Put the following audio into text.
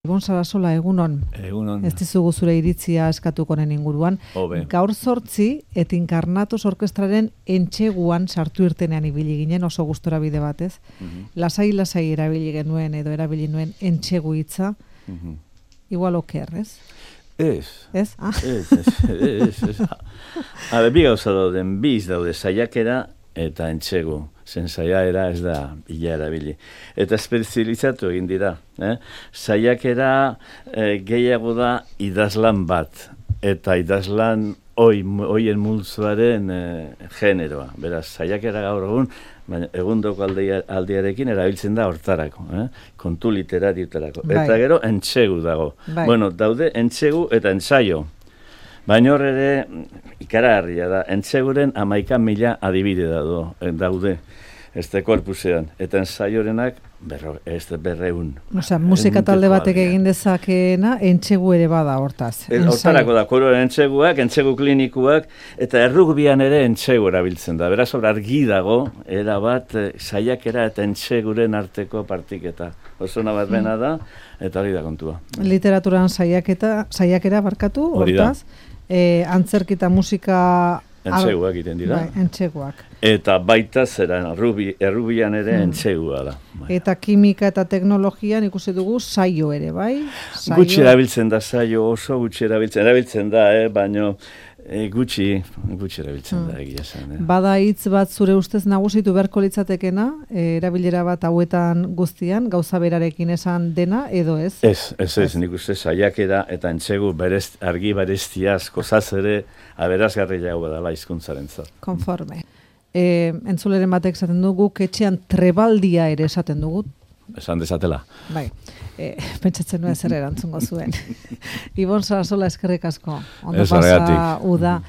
Ibon Sarasola, egunon. Egunon. Ez dizugu zure iritzia eskatuko honen inguruan. Hobe. Gaur 8 et Inkarnatos orkestraren entxeguan sartu irtenean ibili ginen, oso gustora bide batez. Lasai erabili genuen edo erabili nuen entxegu hitza. Igual oker, ez? Ez. Ez? Ah. Ez. Bi gauza dauden, biz daude saiakera eta entxegu. Zen saiakera ez da bila erabili. Eta espezializatu egin dira. Saiakera gehiago da idazlan bat. Eta idazlan oien multzoaren generoa. Beraz, saiakera gaur egun, baina egundoko aldiarekin erabiltzen da hortarako. Kontu literariotarako. Eta gero entxegu dago. Bueno, daude entxegu eta entsaio. Baina hor ere ikaragarria da, entxeguren 11.000 adibide daude, este korpusean, eta ensaiorenak 200. Osea, musika talde batek egin dezakeena, entxegu ere bada hortaz. Hortarako da, koroen entxeguak, entxegu klinikuak, eta errugbian ere entxegu erabiltzen da. Beraz, hor argi dago, erabat, saiakera eta entxeguren arteko partiketa. Oso bat bena da, eta hori da kontua. Literaturan saiakera barkatu, hortaz. Antzerkita musika... Entxeguak iten dira. Entxeguak. Eta baita zera, errubian ere entxegua da. Eta kimika eta teknologian ikusi dugu saio ere, bai? Gutxi erabiltzen da saio, oso gutxi erabiltzen da, baina gutxi erabiltzen da egia zen. Bada hitz bat zure ustez nagusitu beharko litzatekena, erabilera bat hauetan guztian, gauza berarekin esan dena, edo ez? Ez, nik uste saiakera eta entxegu argi bereztia asko ere aberazgarriago badala hizkuntzarentzat. Konforme. Entzuleren batek esaten dugu, etxean trebaldia ere esaten dugu. Esan dezatela. Bai, pentsatzen nuen zer erantzungo zuen. Ibon Sarasola, eskerrik asko. Ondo pasa uda.